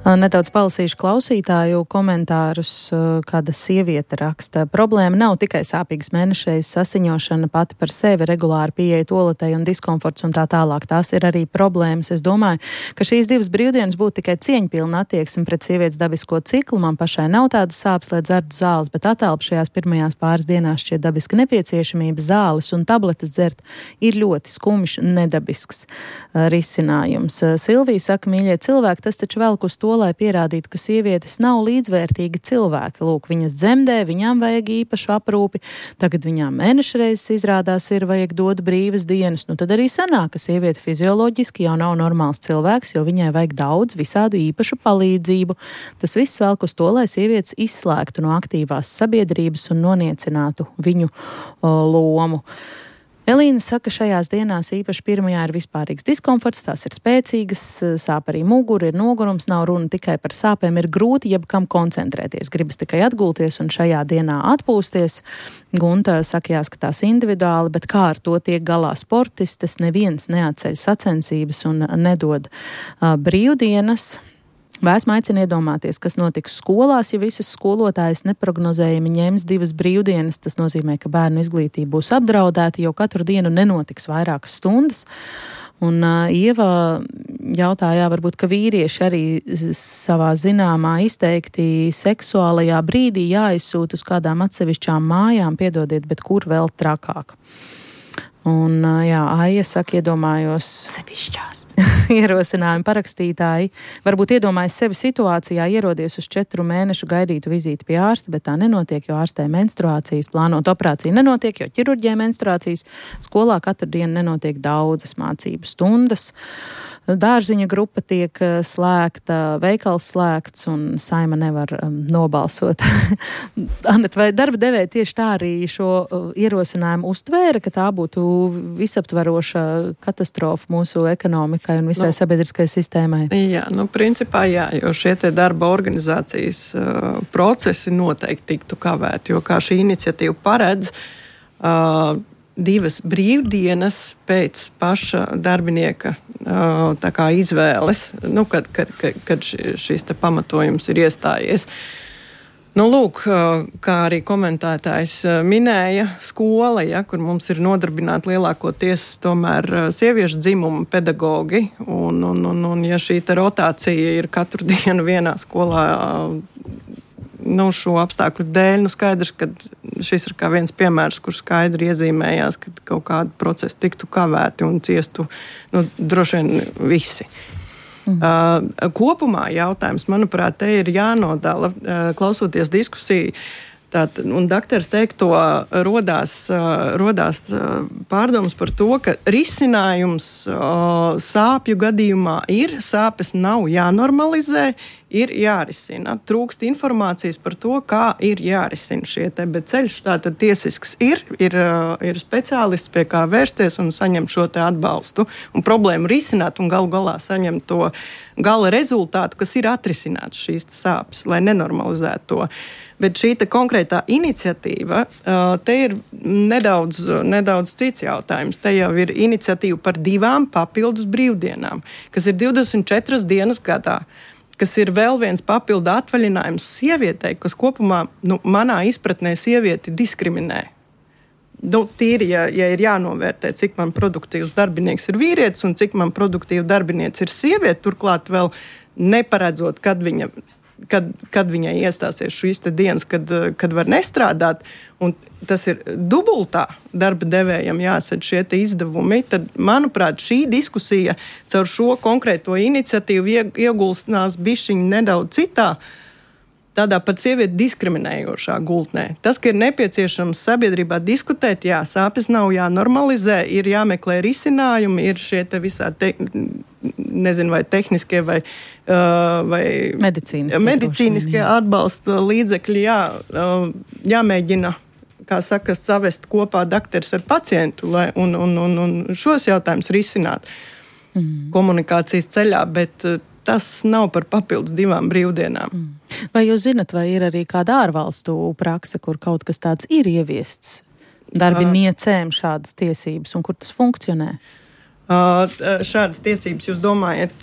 Nedaudz palasīšu klausītāju komentārus, kāda sieviete raksta. Problēma nav tikai sāpīgas mēnešreiz sasiņošana pati par sevi, regulāri pieeja toaletei un diskomforts un tā tālāk. Tās ir arī problēmas. Es domāju, ka šīs 2 brīvdienas būtu tikai cieņpilna attieksme pret sievietes dabisko ciklu. Man pašai nav tādas sāpes, lai dzertu zāles, bet atelpa šajās pirmajās pāris dienās šķiet dabiska nepieciešamība. Zāles un tabletes dzert ir ļoti skumjš, nedabisks risinājums. Silvija saka, mīļie cilvēki, tas taču velk uz to, lai pierādītu, ka sievietes nav līdzvērtīgi cilvēki. Lūk, viņas dzemdē, viņām vajag īpašu aprūpi, tagad viņām mēnešreizes izrādās ir vajag dot brīvas dienas. Nu tad arī sanāk, ka sieviete fizioloģiski jau nav normāls cilvēks, jo viņai vajag daudz visādu īpašu palīdzību. Tas viss velk uz to, lai sievietes izslēgtu no aktīvās sabiedrības un noniecinātu viņu lomu. Elīna saka, šajās dienās īpaši pirmajā ir vispārīgs diskomforts, tās ir spēcīgas, sāp arī mugura, ir nogurums, nav runa tikai par sāpēm, ir grūti jebkam koncentrēties, gribas tikai atgulties un šajā dienā atpūsties. Gunta saka, jāskatās individuāli, bet kā ar to tiek galā sportistes, neviens neatceļ sacensības un nedod brīvdienas. Vēsma aicina iedomāties, kas notiks skolās, ja visas skolotājas neprognozējami ņems 2 brīvdienas. Tas nozīmē, ka bērnu izglītība būs apdraudēta, jo katru dienu nenotiks vairākas stundas. Un Ieva jautāja, varbūt, ka vīrieši arī savā zināmā izteikti seksuālajā brīdī jāizsūt uz kādām atsevišķām mājām, piedodiet, bet kur vēl trakāk. Un Aija saka, iedomājos sevišķās. Ierosinājumi parakstītāji varbūt iedomājas sevi situācijā, ierodies uz 4 mēnešu gaidītu vizīti pie ārsta, bet tā nenotiek, jo ārstē menstruācijas, plānot operāciju nenotiek, jo ķirurģijai menstruācijas, skolā katru dienu nenotiek daudzas mācību stundas. Dārziņa grupa tiek slēgta, veikals slēgts un Saima nevar nobalsot. Anet, vai darba devēja tieši tā arī šo ierosinājumu uztvēra, ka tā būtu visaptveroša katastrofa mūsu ekonomikai un visai sabiedriskai sistēmai? Jā, principā jā, jo šie te darba organizācijas procesi noteikti tiktu kavēti, jo kā šī iniciatīva paredz, 2 brīvdienas pēc paša darbinieka tā kā izvēles, kad šis te pamatojums ir iestājies. Lūk, kā arī komentētājs minēja, skola, kur mums ir nodarbināti lielākoties tomēr sieviešu dzimuma pedagogi, un ja šī te rotācija ir katru dienu vienā skolā, šo apstākļu dēļ, skaidrs, ka šis ir kā viens piemērs, kur skaidri iezīmējās, ka kaut kādi procesi tiktu kavēti un ciestu droši vien visi. Kopumā jautājums, manuprāt, te ir jānodala, klausoties diskusiju, un daktars teikto rodās pārdomas par to, ka risinājums sāpju gadījumā ir, sāpes nav jānormalizē, ir jārisina. Trūkst informācijas par to, kā ir jārisina šie te, bet ceļš tātad tiesisks ir speciālists, pie kā vērsties un saņemt šo te atbalstu un problēmu risināt un galu galā saņemt to gala rezultātu, kas ir atrisināts šīs sāpes, lai nenormalizētu to. Bet šī konkrētā iniciatīva, te ir nedaudz cits jautājums. Te jau ir iniciatīva par 2 papildus brīvdienām, kas ir 24 dienas gadā, kas ir vēl viens papildu atvaļinājums sievietei, kas kopumā, manā izpratnē, sievieti diskriminē. Tīri, ja ir jānovērtē, cik man produktīvs darbinieks ir vīrietis un cik man produktīva darbinieks ir sieviete, turklāt vēl neparedzot, kad viņai iestāsies šīs dienas, kad var nestrādāt, un tas ir dubultā darba devējam jāsadz šie izdevumi, tad, manuprāt, šī diskusija caur šo konkrēto iniciatīvu iegulstinās bišķiņi nedaudz citā, tādā pat sievieti diskriminējošā gultnē. Tas, ka ir nepieciešams sabiedrībā diskutēt, jā, sāpes nav jānormalizē, ir jāmeklē risinājumi, ir šie te visādi nezinu, vai tehniskie vai medicīniskie atbalsta līdzekļi, jāmēģina, kā saka, savest kopā dakteris ar pacientu un šos jautājumus risināt komunikācijas ceļā, bet tas nav par papildus 2 brīvdienām. Vai jūs zinat, vai ir arī kāda ārvalstu prakse, kur kaut kas tāds ir ieviests darbiniecēm šādas tiesības un kur tas funkcionē? Šādas tiesības jūs domājat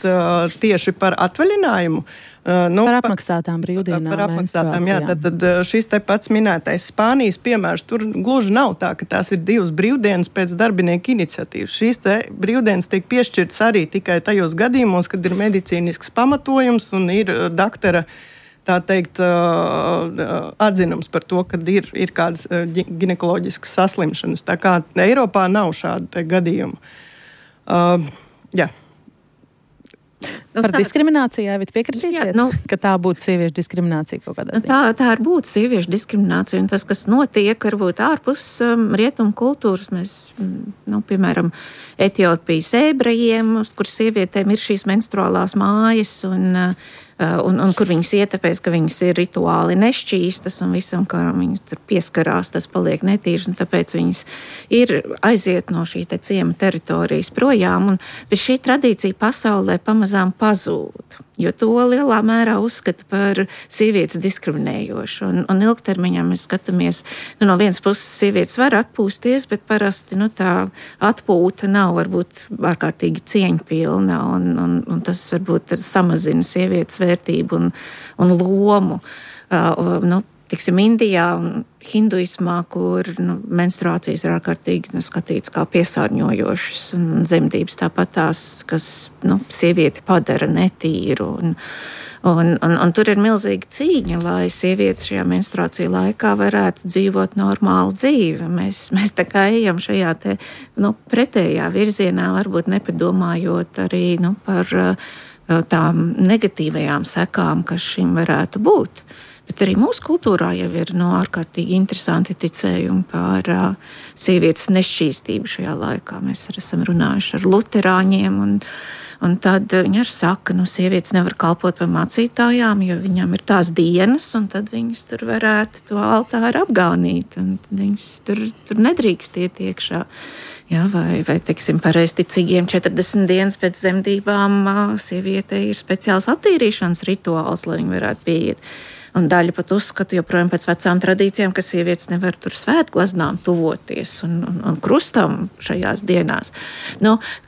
tieši par atvaļinājumu? Par apmaksātām brīvdienām. Par apmaksātām, jā. Tad šis te pats minētais Spānijas piemērs, tur gluži nav tā, ka tās ir 2 brīvdienas pēc darbinieku iniciatīvas. Šīs te brīvdienas tiek piešķirtas arī tikai tajos gadījumos, kad ir medicīnisks pamatojums un ir daktara, tā teikt, atzinums par to, ka ir kādas ginekoloģiskas saslimšanas. Tā kā Eiropā nav šādu te gadījumu. Jā. Par diskrimināciju, Aivita, piekritīsiet, ka tā būtu sieviešu diskriminācija kaut kādā ziņā? Tā ir būtu sieviešu diskriminācija, un tas, kas notiek, varbūt ārpus rietumu kultūras, mēs, piemēram, Etiopijas ebrejiem, kur sievietēm ir šīs menstruālās mājas, un kur viņas iet, tāpēc, ka viņas ir rituāli nešķīstas, un visam, kā viņas tur pieskarās, tas paliek netīrs, un tāpēc viņas ir aiziet no šī te ciema teritorijas projām, bet šī tradīcija pasaulē pamazām pazūd, jo to lielā mērā uzskata par sievietes diskriminējošu, un ilgtermiņā mēs skatāmies, no vienas puses sievietes var atpūsties, bet parasti, tā atpūta nav varbūt ārkārtīgi cieņpilna, un tas varbūt samazina sievietes vērtību un lomu. Tiksim, Indijā un hinduismā, kur menstruācijas ir ārkārtīgi skatīts kā piesārņojošas un zemdības tāpat tās, kas sievieti padara netīru. Un tur ir milzīga cīņa, lai sievietes šajā menstruāciju laikā varētu dzīvot normālu dzīvi. Mēs tā kā ejam šajā te, pretējā virzienā, varbūt nepadomājot arī par tām negatīvajām sekām, kas šim varētu būt. Bet arī mūsu kultūrā jau ir ārkārtīgi interesanti ticējumi par sievietes nešķīstību šajā laikā. Mēs esam runājuši ar luterāņiem, un tad viņi arī saka, sievietes nevar kalpot par mācītājām, jo viņām ir tās dienas, un tad viņas tur varētu to altāru apgaunīt, un viņas tur nedrīkst iet iekšā. Jā, vai teiksim, pareizticīgiem 40 dienas pēc zemdībām sievietei ir speciāls attīrīšanas rituāls, lai viņi varētu pieiet. Un daļa pat uzskata joprojām pēc vecām tradīcijām, ka sievietes nevar tur svētglaznām tuvoties un krustam šajās dienās.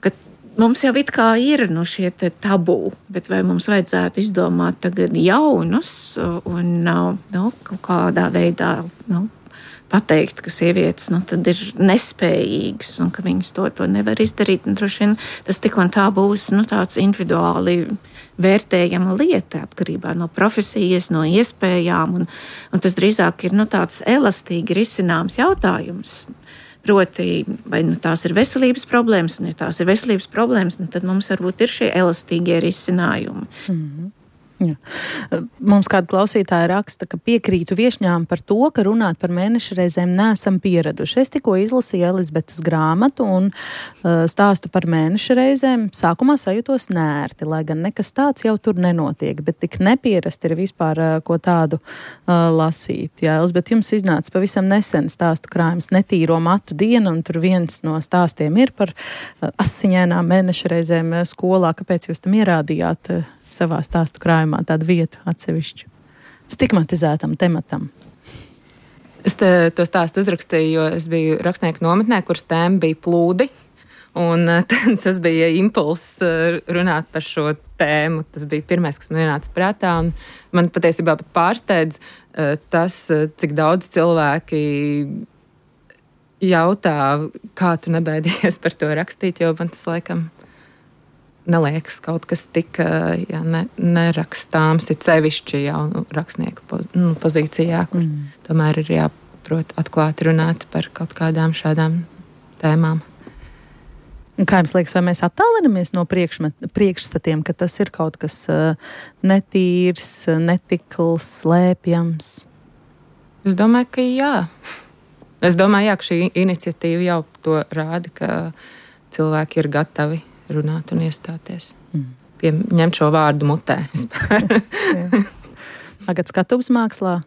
Kad mums jau it kā ir šie tabū, bet vai mums vajadzētu izdomāt tagad jaunus un kaut kādā veidā pateikt, ka sievietes tad ir nespējīgas un ka viņas to nevar izdarīt. Un droši vien tas tik un tā būs tāds individuāli vērtējama lieta atkarībā no profesijas, no iespējām. Un tas drīzāk ir tāds elastīgi risināms jautājums. Proti, vai tās ir veselības problēmas, un ja tās ir veselības problēmas, tad mums varbūt ir šie elastīgie risinājumi. Mm-hmm. Jā. Mums kāda klausītāja raksta, ka piekrītu viešņām par to, ka runāt par mēneša reizēm neesam pieraduši. Es tikko izlasīju Elizabetes grāmatu un stāstu par mēneša reizēm. Sākumā sajūtos nērti, lai gan nekas tāds jau tur nenotiek, bet tik nepierasti ir vispār ko tādu lasīt. Jā, Elizabete, jums iznāca pavisam nesen stāstu krājums Netīro matu diena, un tur viens no stāstiem ir par asiņainām mēneša reizēm skolā. Kāpēc jūs tam ierādījāt savā stāstu krājumā tādu vietu atsevišķu stigmatizētam tematam? Es to stāstu uzrakstīju, jo es biju rakstnieku nometnē, kuras tēma bija plūdi. Un tas bija impulss runāt par šo tēmu. Tas bija pirmais, kas man ienāca prātā. Un man patiesībā pat pārsteidz tas, cik daudz cilvēki jautā, kā tu nebēdījies par to rakstīt, jo man tas laikam neliekas kaut kas tik nerakstāms, ir sevišķi jaunu rakstnieku pozīcijā, kur tomēr ir jāprot atklāti runāt par kaut kādām šādām tēmām. Un kā jums liekas, vai mēs attālinamies no priekšstatiem, ka tas ir kaut kas netīrs, netikls, slēpjams? Es domāju, ka jā. Es domāju, ka šī iniciatīva jau to rāda, ka cilvēki ir gatavi runāt un iestāties. Ņemt šo vārdu mutē. Tagad skatuves mākslā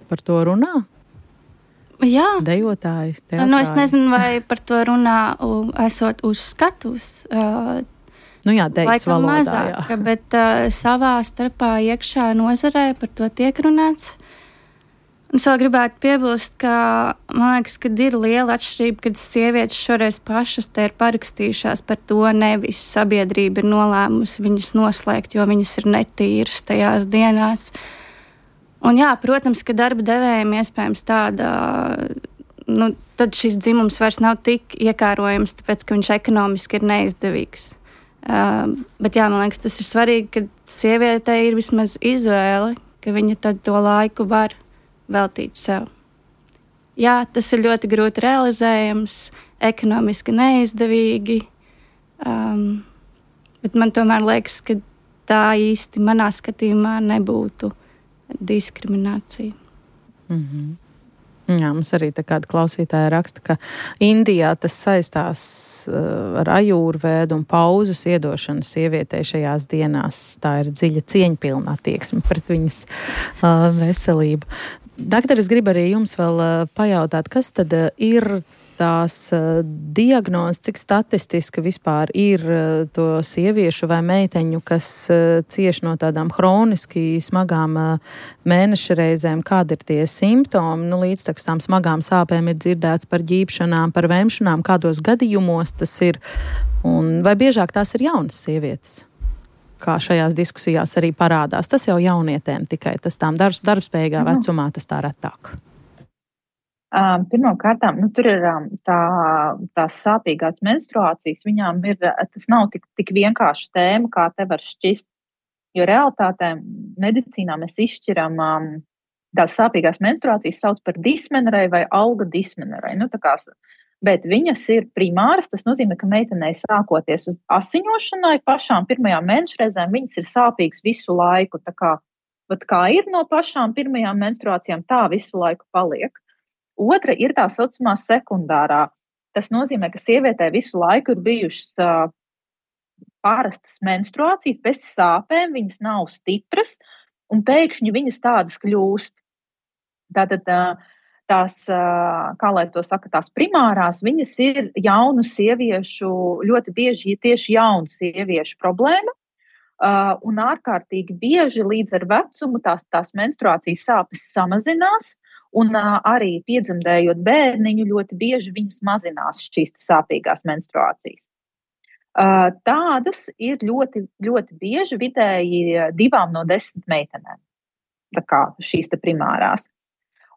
par to runā? Jā. Dejotāji, teatrāji. Es nezinu, vai par to runā esot uz skatuves. Jā, dejas valodā, mazāk, bet savā starpā iekšā nozarē par to tiek runāts. Un es vēl gribētu piebilst, ka man liekas, ka ir liela atšķirība, kad sievietes šoreiz pašas te ir parakstījušās par to, nevis sabiedrība ir nolēmusi viņas noslēgt, jo viņas ir netīras tajās dienās. Un jā, protams, ka darba devējiem iespējams tāda, tad šis dzimums vairs nav tik iekārojams, tāpēc, ka viņš ekonomiski ir neizdevīgs. Bet jā, man liekas, tas ir svarīgi, ka sievietei ir vismaz izvēle, ka viņa tad to laiku var veltīt sev. Jā, tas ir ļoti grūti realizējams, ekonomiski neizdevīgi, bet man tomēr liekas, ka tā īsti manā skatījumā nebūtu diskriminācija. Mm-hmm. Jā, mums arī tā kāda klausītāja raksta, ka Indijā tas saistās ar ajurvēdu un pauzes iedošanu sievietei šajās dienās. Tā ir dziļa cieņpilna attieksme pret viņas veselību. Doktor, es gribu arī jums vēl pajautāt, kas tad ir tās diagnozes, cik statistiski vispār ir to sieviešu vai meiteņu, kas cieš no tādām hroniski smagām mēneša reizēm, kādi ir tie simptomi, līdz tām smagām sāpēm ir dzirdēts par ģīpšanām, par vemšanām, kādos gadījumos tas ir, un vai biežāk tās ir jaunas sievietes? Kā šajās diskusijās arī parādās. Tas jau jaunietēm tikai, tas tām darbspējīgā vecumā, tas tā retāk. Pirmkārtām, tur ir tās sāpīgās menstruācijas, viņām ir, tas nav tik vienkārši tēma, kā te var šķist, jo realitātē medicīnā mēs izšķiram tās sāpīgās menstruācijas sauc par dismenorei vai alga dismenorei. Bet viņas ir primāras, tas nozīmē, ka meitenei sākoties uz asiņošanai pašām pirmajām mēneša reizēm, viņas ir sāpīgas visu laiku. Kā ir no pašām pirmajām menstruācijām, tā visu laiku paliek. Otra ir tā saucamā sekundārā. Tas nozīmē, ka sievietē visu laiku ir bijušas parastas menstruācijas bez sāpēm, viņas nav stipras, un pēkšņi viņas tādas kļūst. Tātad tās, kā lai to saka, tās primārās, viņas ir jaunu sieviešu, ļoti bieži tieši jaunu sieviešu problēma, un ārkārtīgi bieži līdz ar vecumu tās menstruācijas sāpes samazinās, un arī piedzemdējot bērniņu ļoti bieži viņas mazinās šīs sāpīgās menstruācijas. Tādas ir ļoti, ļoti bieži, vidēji 2 no 10 meitenēm, tā kā šīs primārās.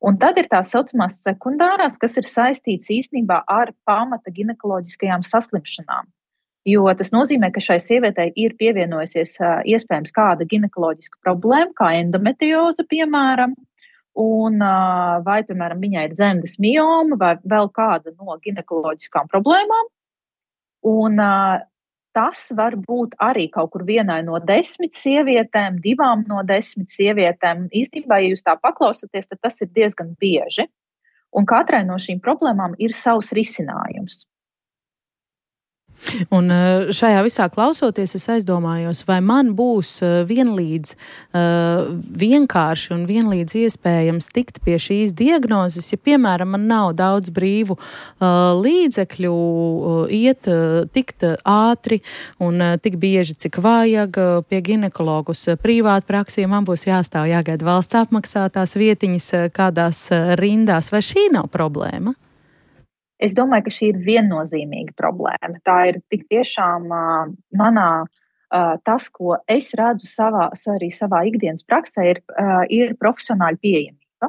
Un tad ir tās saucamās sekundārās, kas ir saistīts īstenībā ar pamata ginekoloģiskajām saslimšanām. Jo tas nozīmē, ka šai sievietei ir pievienojusies iespējams kāda ginekoloģiska problēma, kā endometrioze, piemēram, vai, piemēram, viņai ir dzemdes mioma vai vēl kāda no ginekoloģiskām problēmām. Un tas var būt arī kaut kur vienai no 10 sievietēm, 2 no 10 sievietēm. Īstenībā, ja jūs tā paklausaties, tad tas ir diezgan bieži. Un katrai no šīm problēmām ir savs risinājums. Un šajā visā klausoties, es aizdomājos, vai man būs vienlīdz vienkārši un vienlīdz iespējams tikt pie šīs diagnozes, ja, piemēram, man nav daudz brīvu līdzekļu tikt ātri un tik bieži, cik vajag pie ginekologus privāti praksī, man būs jāstāv jāgaida valsts apmaksātās vietiņas kādās rindās, vai šī nav problēma? Es domāju, ka šī ir viennozīmīga problēma. Tā ir tik tiešām manā, tas, ko es redzu arī savā ikdienas praksē, ir profesionāļa pieejamība.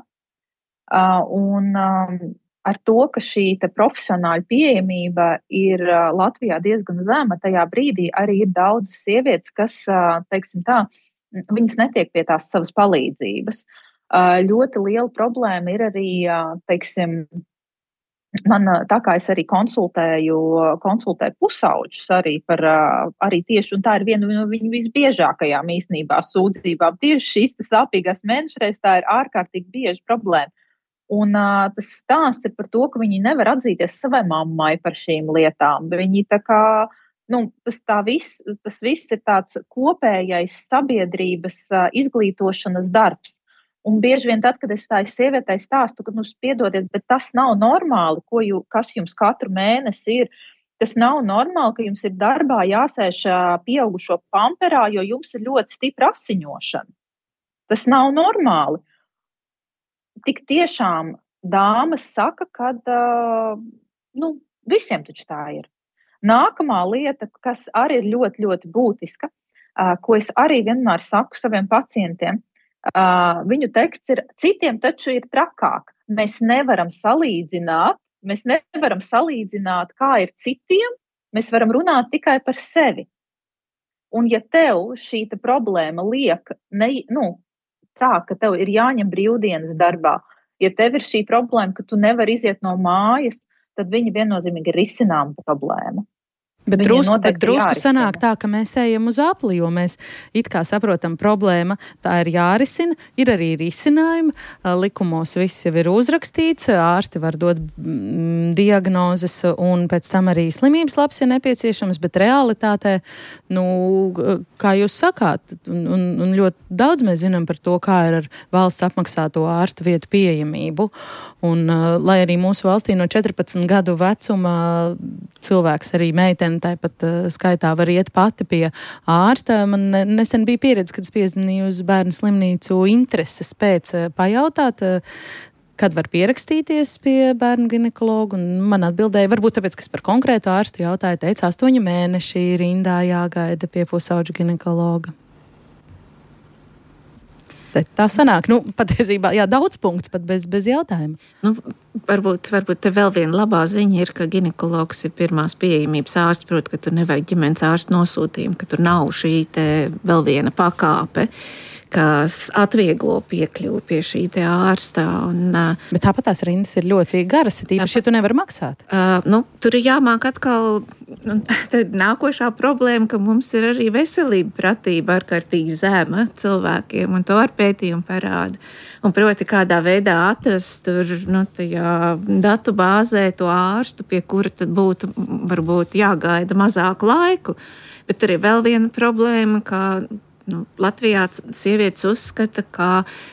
Un ar to, ka šī profesionāļa pieejamība ir Latvijā diezgan zema, tajā brīdī arī ir daudzas sievietes, kas, teiksim tā, viņas netiek pie tās savas palīdzības. Ļoti liela problēma ir arī, teiksim, tā kā es arī konsultēju pusauģus arī tieši, un tā ir viena no viņu visbiežākajām īstenībā sūdzībām. Tieši šīs sāpīgās mēnešreizes, tā ir ārkārtīgi bieža problēma. Un tas stāsts ir par to, ka viņi nevar atzīties savai mammai par šīm lietām. Viņi tā kā, tas viss ir tāds kopējais sabiedrības izglītošanas darbs. Un bieži vien tad, kad es tā sievietei stāstu, ka, piedodiet, bet tas nav normāli, kas jums katru mēnesi ir. Tas nav normāli, ka jums ir darbā jāsēž pieaugušo pamperā, jo jums ir ļoti stipra asiņošana. Tas nav normāli. Tik tiešām dāmas saka, ka visiem taču tā ir. Nākamā lieta, kas arī ir ļoti, ļoti būtiska, ko es arī vienmēr saku saviem pacientiem, viņu teksts ir, citiem taču ir trakāk. Mēs nevaram salīdzināt, kā ir citiem, mēs varam runāt tikai par sevi. Un ja tev šī problēma liek, tā, ka tev ir jāņem brīvdienas darbā, ja tev ir šī problēma, ka tu nevari iziet no mājas, tad viņa viennozīmīgi ir risināma problēma. Bet drusku sanāk tā, ka mēs ejam uz apli, jo mēs it kā saprotam problēma, tā ir jārisina, ir arī risinājumi, likumos viss jau ir uzrakstīts, ārsti var dot diagnozes un pēc tam arī slimības laps, ja nepieciešams, bet realitātē, kā jūs sakāt, un ļoti daudz mēs zinām par to, kā ir ar valsts apmaksāto ārstu vietu pieejamību, un lai arī mūsu valstī no 14 gadu vecuma cilvēks arī meitene tāpat skaitā var iet pati pie ārsta. Man nesen bija pieredze, kad es piezvanīju uz bērnu slimnīcu intereses pēc pajautāt, kad var pierakstīties pie bērnu ginekologa, un man atbildēja, varbūt tāpēc, ka es par konkrētu ārstu jautāju, teica 8 mēneši rindā jāgaida pie pusauģa ginekologa. Tā sanāk, patiesībā, daudz punkts, pat bez jautājuma. Varbūt te vēl viena labā ziņa ir, ka ginekologs ir pirmās pieejamības ārsts, proti, ka tur nevajag ģimenes ārstu nosūtījumu, ka tur nav šī te vēl viena pakāpe, kas atvieglo piekļuvi pie šī te ārsta. Bet tāpat tās rindas ir ļoti garas, īpaši, ja tu nevari maksāt. Tur ir jāmāk atkal, tad nākošā problēma, ka mums ir arī veselība pratība ārkārtīgi zema cilvēkiem, un to ar pētījumu parāda. Un proti, kādā veidā atrast tur, tajā datu bāzē to ārstu, pie kura tad būtu varbūt jāgaida mazāku laiku. Bet tur ir vēl viena problēma, ka Latvijā sievietes uzskata, ka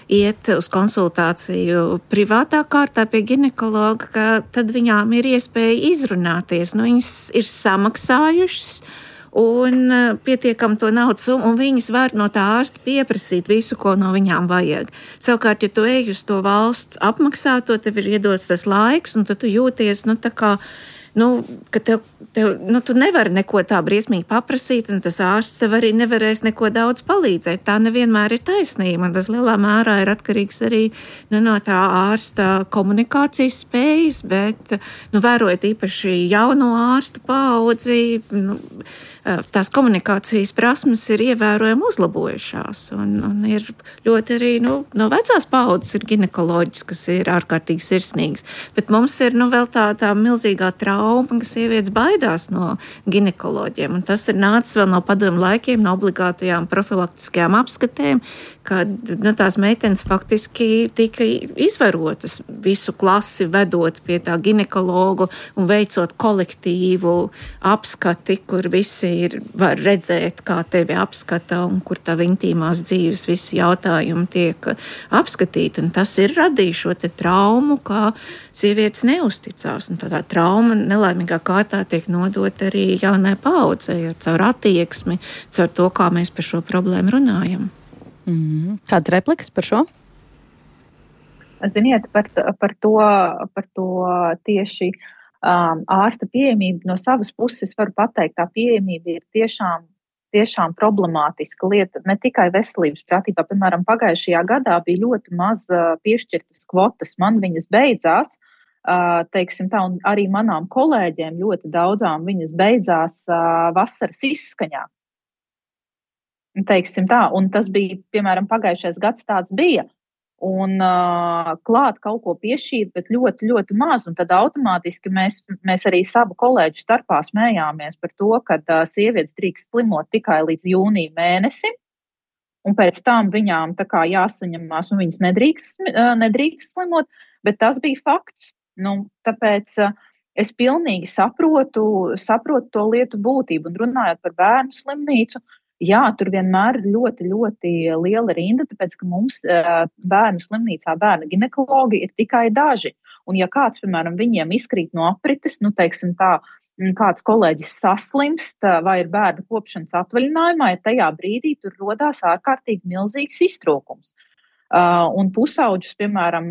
iet uz konsultāciju privātā kārtā pie ginekologa, ka tad viņām ir iespēja izrunāties. Viņas ir samaksājušas un pietiekam to naudas, un viņas var no tā ārsta pieprasīt visu, ko no viņām vajag. Savukārt, ja tu ej uz to valsts apmaksāto, tev ir iedots tas laiks, un tad tu jūties, tā kā ka tu nevari neko tā briesmīgi paprasīt, un tas ārsts tev arī nevarēs neko daudz palīdzēt. Tā nevienmēr ir taisnība, un tas lielā mērā ir atkarīgs arī no tā ārsta komunikācijas spējas, bet vērojot īpaši jauno ārstu paudzi, tās komunikācijas prasmes ir ievērojami uzlabojušās. Un ir ļoti arī no vecās paudzes ir ginekoloģis, kas ir ārkārtīgi sirsnīgs. Bet mums ir vēl tā milzīgā trauma, ka sievietes baidās no ginekoloģiem. Un tas ir nācis vēl no padomu laikiem, no obligātajām profilaktiskajām apskatēm, kad tās meitenes faktiski tika izvarotas visu klasi vedot pie tā ginekologu un veicot kolektīvu apskati, kur visi var redzēt, kā tevi apskata un kur tā intīmās dzīves visi jautājumi tiek apskatīti. Un tas ir radījis šo te traumu, kā sievietes neusticās. Un tā trauma nelaimīgā kārtā tiek nodot arī jaunai paudzei caur attieksmi, caur to, kā mēs par šo problēmu runājam. Kāds replikas par šo? Ziniet, par to tieši ārsta pieejamību no savas puses varu pateikt, tā pieejamība ir tiešām problemātiska lieta, ne tikai veselības pratībā. Piemēram, pagājušajā gadā bija ļoti maz piešķirtas kvotas, man viņas beidzās, teiksim tā, un arī manām kolēģiem ļoti daudzām viņas beidzās vasaras izskaņā. Teiksim tā, un tas bija, piemēram, pagājušais gads tāds bija, un klāt kaut ko piešķīt, bet ļoti, ļoti maz, un tad automātiski mēs arī savu kolēģu starpā smējāmies par to, ka sievietes drīkst slimot tikai līdz jūnija mēnesim, un pēc tam viņām tā kā jāsaņemās, un viņas nedrīkst slimot, bet tas bija fakts. Tāpēc es pilnīgi saprotu to lietu būtību, un runājot par bērnu slimnīcu, jā, tur vienmēr ir ļoti, ļoti liela rinda, tāpēc, ka mums bērnu slimnīcā bērnu ginekologi ir tikai daži. Un ja kāds, piemēram, viņiem izkrīt no aprites, teiksim tā, kāds kolēģis saslimst vai ir bērnu kopšanas atvaļinājumā, ja tajā brīdī tur rodās ārkārtīgi milzīgs iztrūkums. Un pusauģus, piemēram,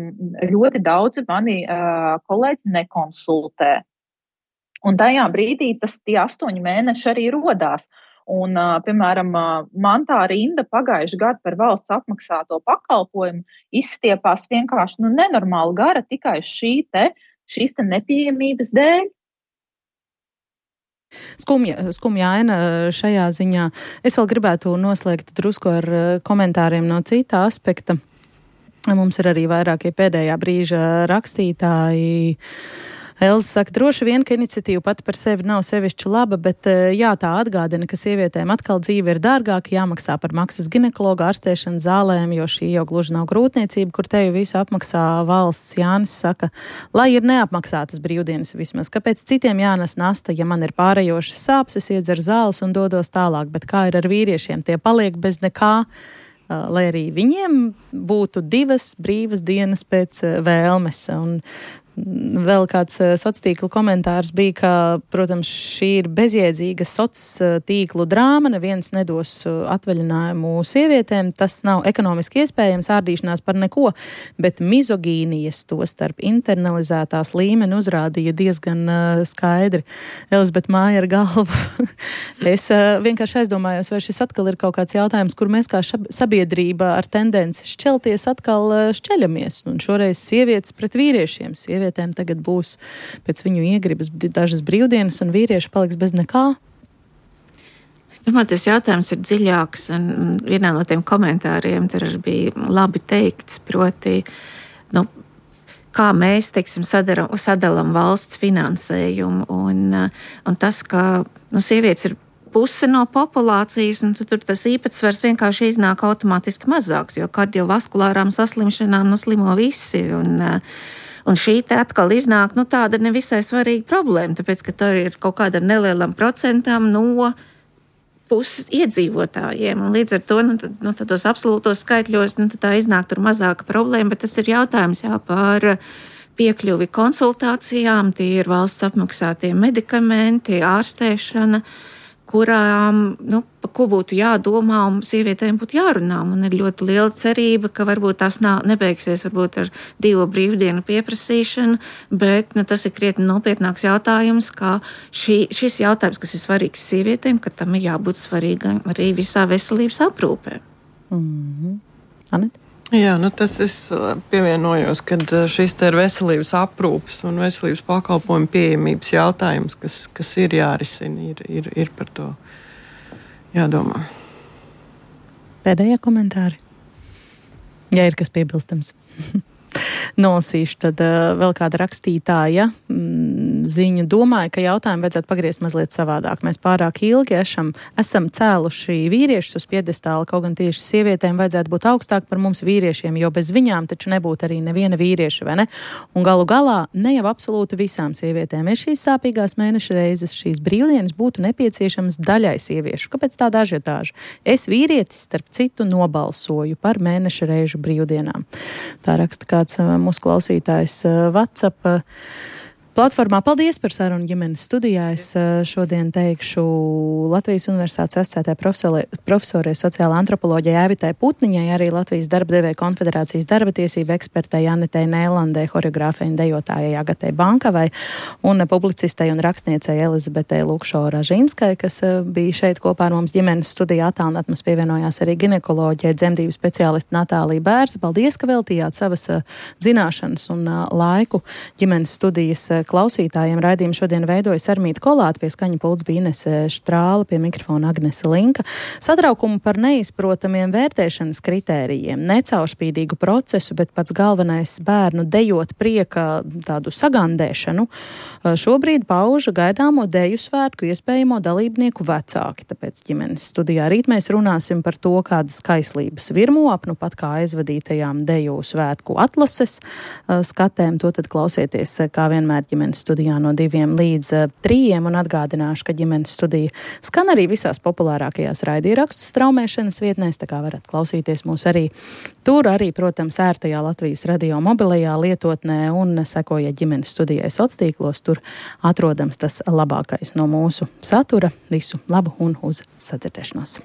ļoti daudzi mani kolēģi nekonsultē. Un tajā brīdī tie 8 mēneši arī rodās. Un, piemēram, man tā rinda pagājuši gadu par valsts apmaksāto pakalpojumu izstiepās vienkārši nenormāli gara tikai šīs nepieejamības dēļ. Skumja aina šajā ziņā. Es vēl gribētu noslēgt drusku ar komentāriem no cita aspekta. Mums ir arī vairākie pēdējā brīža rakstītāji. Elza saka, droši vien, ka iniciatīva pati par sevi nav sevišķi laba, bet jā, tā atgādina, ka sievietēm atkal dzīve ir dārgāka, jāmaksā par maksas ginekologa ārstēšanu zālēm, jo šī jau gluži nav grūtniecība, kur tevi visu apmaksā valsts. Jānis saka, lai ir neapmaksātas brīvdienas vismaz. Kāpēc citiem jānes nasta, ja man ir pārējošas sāpes, es iedzeru zāles un dodos tālāk, bet kā ir ar vīriešiem? Tie paliek bez nekā, lai arī viņiem būtu 2 brīvas dienas pēc vēlmes. Un vēl kāds sociālo komentārs bija, ka, protams, šī ir bezjēdzīga sociālo drāma, neviens nedos atvaļinājumu sievietēm, tas nav ekonomiski iespējams, ārdīšanās par neko, bet mizogīnijas to starp internalizētās līmeni uzrādīja diezgan skaidri. Elizabete māja ar galvu. Es vienkārši aizdomājos, vai šis atkal ir kaut kāds jautājums, kur mēs kā sabiedrība ar tendenci šķelties atkal šķeļamies, un šoreiz sievietes pret vīriešiem. Sievietēm tagad būs pēc viņu iegribas dažas brīvdienas, un vīrieši paliks bez nekā? Es domāju, tas jautājums ir dziļāks, un vienā no tiem komentāriem tur bija labi teikts, proti, kā mēs, teiksim, sadalām valsts finansējumu, un tas, ka sievietes ir puse no populācijas, un tur tas īpatsvars vienkārši iznāk automātiski mazāks, jo kardiovaskulārām saslimšanām slimo visi, un šī te atkal iznāk tāda nevisai svarīga problēma, tāpēc, ka tur ir kaut kādam nelielam procentam no puses iedzīvotājiem, un līdz ar to tādos absolūtos skaitļos tā iznāk tur mazāka problēma, bet tas ir jautājums par piekļuvi konsultācijām, tie ir valsts apmaksātie medikamenti, ārstēšana, kurām, pa ko būtu jādomā un sievietēm būtu jārunā. Man ir ļoti liela cerība, ka varbūt tās nebeigsies varbūt ar 2 brīvdienu pieprasīšanu, bet tas ir krietni nopietnāks jautājums, kā šis jautājums, kas ir svarīgs sievietēm, ka tam ir jābūt svarīgam arī visā veselības aprūpē. Anita? Jā, tas es pievienojos, kad šis te ir veselības aprūpes un veselības pakalpojumu pieejamības jautājums, kas ir jārisina, ir par to jādomā. Pēdējie komentāri? Ja ir kas piebilstams. Nolasīšu, tad vēl kāda rakstītāja ziņu domāja, ka jautājumu vajadzētu pagriezt mazliet savādāk. Mēs pārāk ilgi esam cēluši vīriešus uz piedestāla, kaut gan tieši sievietēm vajadzētu būt augstāk par mums vīriešiem, jo bez viņām taču nebūtu arī neviena vīrieša, vai ne? Un galu galā ne jau absolūti visām sievietēm ir šīs sāpīgās mēneša reizes, šīs brīvdienas būtu nepieciešamas daļai sieviešu. Kāpēc tāda ažiotāža? Es vīrietis, starp citu, nobalsoju par mēneša reižu brīvdienām. Tā raksta kāds mūsu klausītājs WhatsApp platformā. Paldies par sarunu ģimenes studijā. Es šodien teikšu Latvijas Universitātes asociētajai profesorai sociālā antropoloģijai Aivitai Putniņai, arī Latvijas darba devēja konfederācijas darba tiesība ekspertei Anitei Nēlandei, horeogrāfei un dejotājai Agatai Bankavai un publicistei un rakstniecei Elizabetei Lukšo-Ražinskai, kas bija šeit kopā ar mums ģimenes studijā. Attālināt mums pievienojās arī ginekoloģijai, dzemdību speciāliste Natālija Bērza. Paldies, ka veltījāt savas zināšanas un laiku ģimenes studijas klausītājiem. Raidījumu šodien veidojas Armīta Kolāte, pie skaņa pults bija Inese Štrāle, pie mikrofona Agnese Linka. Satraukumu par neizprotamiem vērtēšanas kritērijiem, necaurspīdīgu procesu, bet pats galvenais bērnu dejot prieka tādu sagandēšanu, šobrīd pauža gaidāmo deju svētku iespējamo dalībnieku vecāki. Tāpēc ģimenes studijā rīt mēs runāsim par to, kādas kaislības virmo apnu pat kā aizvadītajām deju svētku atlases skatēm. To tad klausieties, kā vienmēr ģimenes studijā no 2 līdz 3, un atgādināšu, ka ģimenes studija skan arī visās populārākajās raidierakstu straumēšanas vietnēs, tā kā varat klausīties mūs arī tur, arī, protams, ērtajā Latvijas radio mobilajā lietotnē, un sekojiet ģimenes studijai sociālos tīklos, tur atrodams tas labākais no mūsu satura. Visu labu un uz sadzirdēšanos!